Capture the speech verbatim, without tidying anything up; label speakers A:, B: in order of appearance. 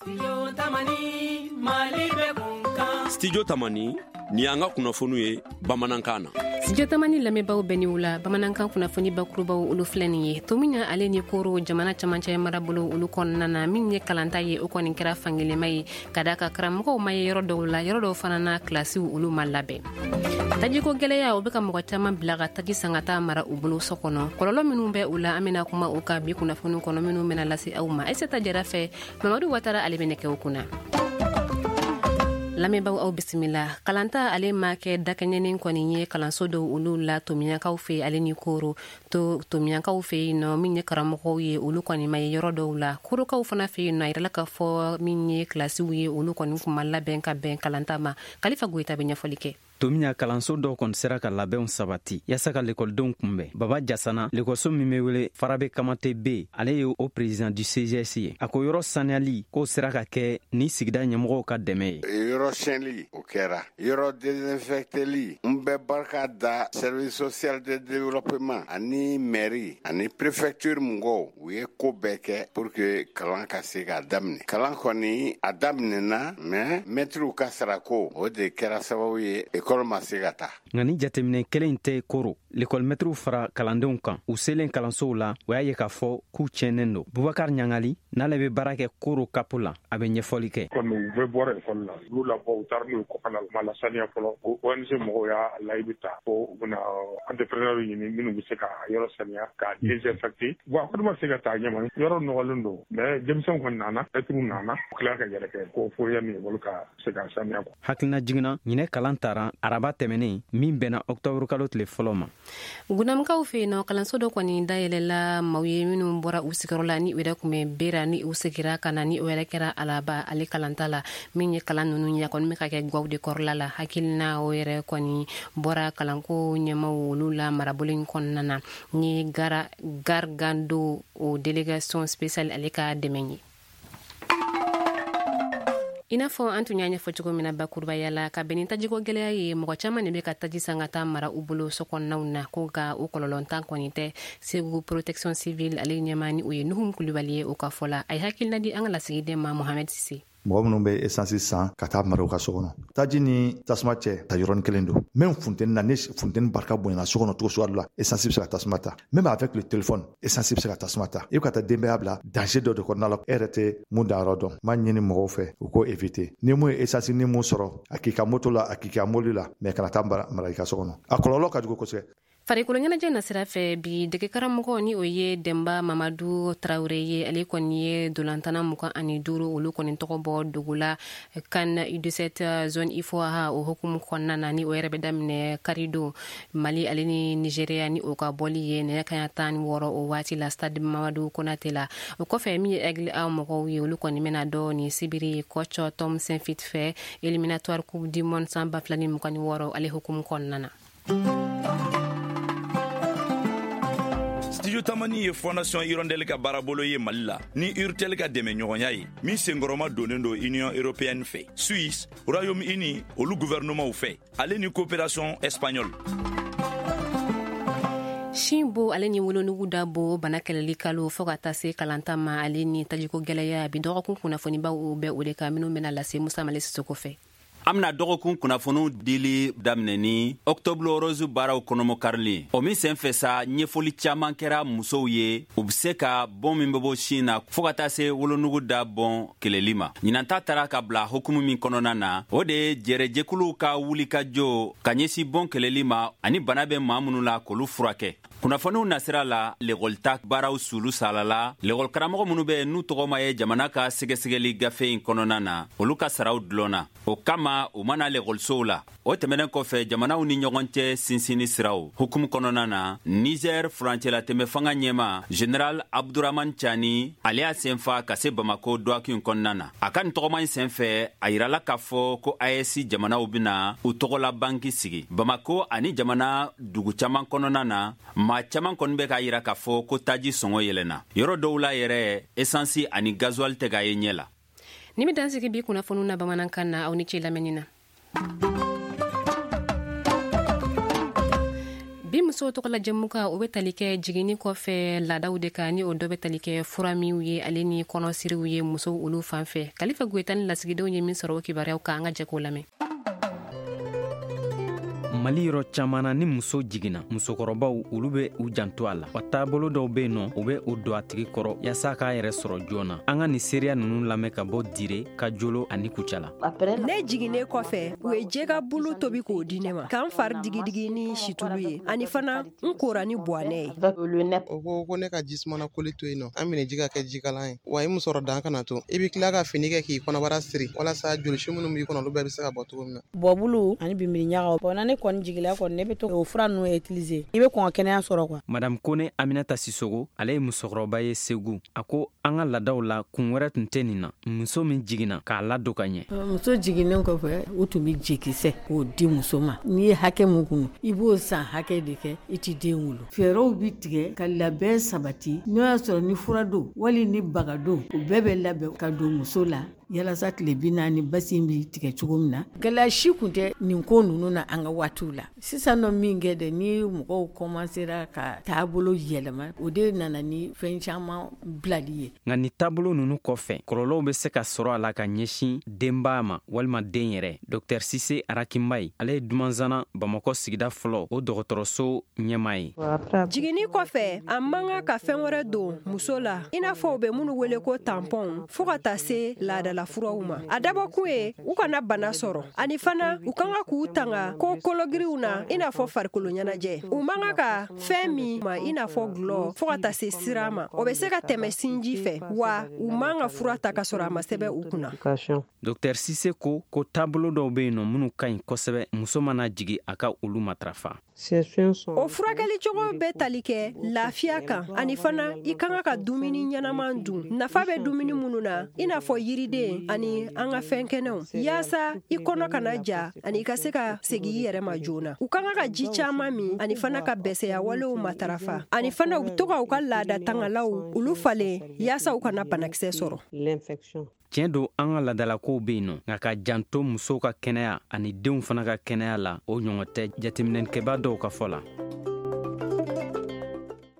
A: Studio Tamani ni y'an ka kunnafoniw ye bamanankan na.
B: Studio Tamani lamɛnbaaw bɛɛ ni wula. Bamanankan kunnafoni bakurubaw, olu filɛ nin ye. Tominian ale ni Koro jamana camancɛ marabolo olu kɔnɔna na, min ye kalanta ye, o kɔni kɛra fankelenma ye ka da ka karamɔgɔw ma ye yɔrɔ dɔw la, yɔrɔ dɔw fana na, kilasiw olu ma labɛn. Tajiko gwɛlɛya, o bɛ ka mɔgɔ caman bila ka taji san ka taa mara u bolo so kɔnɔ. Kɔlɔlɔ minnu bɛ u la, an bɛna kuma o kan bi kunnafoni kɔnɔ minnu bɛna lase aw ma Aisata Jara fɛ. Mamadu Watara, ale bɛ nɛgɛw kunna. Lamɛnbaaw, aw bisimila. Kalanta ale ma kɛ dakɛɲɛnen kɔni ye kalanso dɔw olu la Tomiɲakaw fɛ ale ni Koro. To Tomiɲakaw fɛ yen nɔ, min ye karamɔgɔw ye, olu kɔni ma ye yɔrɔ dɔw la. Korokaw fana fɛ yen nɔ, a yirala k'a fɔ min ye kilasiw ye, olu kɔni kun ma labɛn ka bɛn kalanta ma. Kalifa Goyita bɛ ɲɛfɔli kɛ.
C: Tomiɲa kalanso dɔw kɔni sera ka labɛnw sabati yaasa ka lekɔlidenw kunbɛn. Baba Jasana, lekɔliso min be wele Farabe Kamate B, ale ye o président du C G S ye. A ko yɔrɔ saniyali k'o sera ka kɛ ni sigida ɲɛmɔgɔw ka dɛmɛ ye.
D: Yɔrɔ siyɛnli, o kɛra. Yɔrɔ désinfecteli, n bɛ barika da service social de développement ani mairie ani préfecture mɔgɔw. U ye ko bɛɛ kɛ pour que kalan ka se k'a daminɛ. Kalan kɔni a daminɛna, mais mɛtiriw ka sarako, o de kɛra sababu ye ekɔli ma se ka taa.
C: Nka ni jateminɛ kelen tɛ Koro, lekɔlimɛtiriw fara kalandenw kan. U selen kalansow la, o y'a ye k'a fɔ k'u tiɲɛnen don. Bubakar Ɲangali n'ale bɛ baara kɛ Koro kapo la, a bɛ ɲɛfɔli kɛ.
E: Kɔni u bɛɛ bɔra ekɔli la, u y'u labɔ, u taara n'u ye kɔkan na, u ma lasaniya fɔlɔ. O O N G mɔgɔw y'a layidu ta ko u bɛna entrepreneur ɲini minnu bɛ se ka yɔrɔ saniya, k'a désinfecter. Bon, a kɔni ma se ka taa ɲɛma, yɔrɔ nɔgɔlen don, mais denmisɛnw kɔni nana, mɛtiriw nana, u tila ka yɛrɛ kɛ ko fo yanni ekɔli ka se ka saniya.
C: Hakilina jiginna, ɲinɛ kalan tara araba tɛmɛnen min bɛnna ɔktɔburu kalo tile fɔlɔ ma.
B: Gunamukaw fɛ yen nɔ, kalanso dɔ kɔni dayɛlɛla maaw ye minnu bɔra u sigiyɔrɔ la ni u yɛrɛ kun bɛ bera, ni u segira ka na, ni o yɛrɛ kɛra alaba ale kalanta la. Min ye kalan ninnu ye, a kɔni bɛ ka kɛ gaw de kɔrɔla la. Hakilina o yɛrɛ kɔni bɔra kalanko ɲɛmaw olu la marabolo in kɔnɔna na, ni gara Gargando o délégation spéciale ale ka dɛmɛ ye. I n'a fɔ an tun y'a ɲɛfɔ cogo min na bakurubaya la, ka bɛn ni tajiko gwɛlɛya ye, mɔgɔ caman de bɛ ka taji san ka taa mara u bolo so kɔnɔnaw na, ko ka o kɔlɔlɔntan kɔni tɛ. Segu protection civile ale ɲɛma, ni o ye Nuhum Kulubali ye, o ka fɔ la, a ye hakilina di an ka lasigiden ma Mohamɛd Sise.
F: Mɔgɔ minnu bɛ esansi san ka taa mara u ka so kɔnɔ, taji ni tasuma cɛ ta yɔrɔnin kelen don. Même funteni na, ni funteni barika bonyana so kɔnɔ cogo suguya dɔ la, esansi bɛ se ka tasuma ta. Même avec le téléphone, esansi bɛ se ka tasuma ta. I bɛ ka taa denbaya bila danger dɔ de kɔnɔna la, e yɛrɛ tɛ mun danyɔrɔ dɔn. N b'a ɲini mɔgɔw fɛ u k'o éviter. Ni mun ye esansi ni mun sɔrɔ, a k'i ka moto la, a k'i ka mobili la, mais kana taa mara i ka so kɔnɔ, a kɔlɔlɔ ka jugu kosɛbɛ.
B: Farikolo ɲɛnajɛ nasira fɛ, bi degekaramɔgɔ, ni o ye Denba Mamadu Tarawure ye, ale kɔni ye dolantana mugan ani duuru olu kɔni tɔgɔ bɔ dugu la CAN U dix-sept zone UFOA o hukumu kɔnɔna na, ni o yɛrɛ bɛ daminɛ karidon, Mali ale ni Nigéria ni o ka bɔli ye nɛgɛ kaɲa tan ni wɔɔrɔ o waati la, stade Mamadu Konate la. O kɔfɛ, min ye Aigle A mɔgɔw ye, olu kɔni bɛna dɔ ni sibiri coach Tom Saintfiet fɛ, éliminatoire Coupe du monde san ba fila ni mugan ni wɔɔrɔ ale hukumu kɔnɔna na.
G: Studio Tamani ye Fondation Hirondelle ka baarabolo ye Mali la ni Urtel ka dɛmɛ ɲɔgɔnya ye, min senkɔrɔma donnen don Union européenne fɛ, Suisse, Royaume Uni olu gouvernementw fɛ, ale ni coopération espagnole.
B: Sin bo ale ni wolonugu da bo bana kɛlɛli kalo, fɔɔ ka taa se kalanta ma ale ni tajiko gwɛlɛya, bi dɔgɔkun kunnafonibaw bɛ o de kan minnu bɛna lase Musa Male Sisoko fɛ.
H: An bena dɔgɔkun kunnafoniw dili daminɛ ni Octobre Rose baaraw kɔnɔmɔkarili. O min sen fɛ sa, ɲɛfɔli caaman kɛra musow ye, u be se ka bɔn min bɛ bɔ sin na fɔɔ ka taa se wolonugu da bɔn kɛlɛli ma. Ɲinanta taara ka bila hukumu min kɔnɔna na, o de ye jɛrɛjɛkuluw ka wulikajɔ ka ɲɛsin bɔn kɛlɛli ma ani bana bɛ maa minnu la k'olu furakɛ. Kunnafoniw nasira la, lekɔlita baaraw sulu salala. Lekɔlikaramɔgɔ minnu bɛ n'u tɔgɔ ma ye jamana ka sɛgɛsɛgɛli gafe in kɔnɔna na, olu ka saraw dulɔnna, o kama u mana lekɔlisow la. O tɛmɛnen kɔfɛ, jamanaw ni ɲɔgɔn cɛ sinsinni siraw hukumu kɔnɔna na, Niger furancɛlatɛmɛ fanga ɲɛma général Abduraman Cani, ale y'a senfa ka se Bamako dɔgɔkun kɔnɔna na. A ka nin tɔgɔma in sen fɛ, a yirala k'a fɔ ko A E S jamanaw bena u tɔgɔla banki sigi Bamako ani jamana dugu caaman kɔnɔna na. Maa caaman kɔni bɛ k'a yira k'a fɔ ko taji sɔngɔ yɛlɛnna yɔrɔ dɔw la yɛrɛ, esansi ani gasoil tɛ k'a ye ɲɛ la.
B: Ni bɛ dan sigi bi kunnafoniw na bamanankan na. Aw ni ce lamɛnni na. Bi muso musow tɔgɔ la jɛmukan, o bɛ tali kɛ jiginni kɔfɛ laadaw de kan, ni o dɔ bɛ tali kɛ fura minw ye ale ni kɔnɔsiriw ye musow olu fan fɛ. Kalifa Goyita ni lasigidenw ye min sɔrɔ o kibaruyaw kan, an ka jɛ k'o lamɛn.
C: Mali yɔrɔ caman na, ni muso jiginna, musokɔrɔbaw olu bɛ u janto a la. Wa taabolo dɔw bɛ yen nɔ, u bɛ o don a tigi kɔrɔ yaasa k'a yɛrɛ sɔrɔ joona. An ka nin seereya ninnu lamɛn ka bɔ Dire, Kajolo ani Kucala.
I: Ne jiginnen kɔfɛ, u ye jɛgɛ bulu tobi k'o di ne ma, k'an fari digidigi ni situlu ye, ani fana n kora ni buwanɛ ye.
J: O ko ko ne ka jisumana koli to yen nɔ, an minɛ ji ka kɛ jikalan ye, wa i musɔrɔ dan kana to, i bɛ tila ka fini kɛ k'i kɔnɔbara siri walasa jolisi minnu b'i kɔnɔ, olu bɛɛ bɛ se ka bɔ cogo min na.
K: Bɔbulu ani binbiri ɲagaw bɔn na, ne kɔni jigila kɔni, ne bɛ to o fura ninnu utiliser, i bɛ kɔn ka kɛnɛya sɔrɔ quoi.
C: Madame Kone Aminata Sisogo, ale ye musokɔrɔba ye Segu. A ko an ka laadaw la, kun wɛrɛ tun tɛ nin na muso min jiginna k'a ladon ka ɲɛ.
L: Muso jiginnen kɔfɛ, u tun bɛ jekisɛ k'o di muso ma. N'i ye hakɛ mun kunu, i b'o san hakɛ de kɛ i ti den wolo. Fɛɛrɛw bi tigɛ ka labɛn sabati, n'o y'a sɔrɔ ni fura don wali ni baga don, o bɛɛ bɛ labɛn ka don muso la yalasa tile bi naani basi bi tigɛ cogo min na. Gɛlɛya si kun tɛ nin ko ninnu na an ka waatiw la. Sisan nɔ min kɛ dɛ, ni mɔgɔw kɔmansera ka taabolo yɛlɛma, o de nana ni fɛn caman bilali ye.
C: Nka nin taabolo ninnu kɔfɛ, kɔlɔlɔw bɛ se ka sɔrɔ a la ka ɲɛsin denbaya ma walima den yɛrɛ. Dɔktɛr Sise Arakinbayi, ale ye Dumanzana Bamakɔ sigida fɔlɔ o dɔgɔtɔrɔso ɲɛmaa ye.
I: Jiginni kɔfɛ, a man kan ka fɛn wɛrɛ don muso la, i n'a fɔ u bɛ minnu wele ko tampɔn, fo ka taa se laadala furaw ma. A dabɔkun ye u kana bana sɔrɔ, ani fana u kan ka k'u tanga ko kologiriw na, i n'a fɔ farikolo ɲɛnajɛ. U man kan ka fɛn min ma, i n'a fɔ gulɔ, fo ka taa se sira ma, o bɛ se ka tɛmɛ sinji fɛ, wa u man ka fura ta ka sɔrɔ a ma sɛbɛn u kunna.
C: Dɔktɛr Sise ko ko taabolo dɔw bɛ yen nɔ minnu ka ɲi kosɛbɛ, muso mana jigin a ka olu matarafa.
I: O furakɛli cogo bɛ tali kɛ lafiya kan, ani fana i kan ka dumuni ɲɛnaman dun, nafa bɛ dumuni minnu na, i n'a fɔ yiriden ani an ka fɛn kɛnɛw, yaasa i kɔnɔ kana ja ani i ka se ka segin i yɛrɛ ma joona. U kan ka ji caman min, ani fana ka bɛsɛya walew matarafa, ani fana u bɛ to ka u ka laada tangalaw olu falen yaasa u kana banakisɛ sɔrɔ.
C: Tiɲɛ don, an ka laadalakow bɛ yen nɔ, nka ka janto musow ka kɛnɛya ani denw fana ka kɛnɛya la, o ɲɔgɔn tɛ jateminɛkɛbaa dɔw ka fɔ la.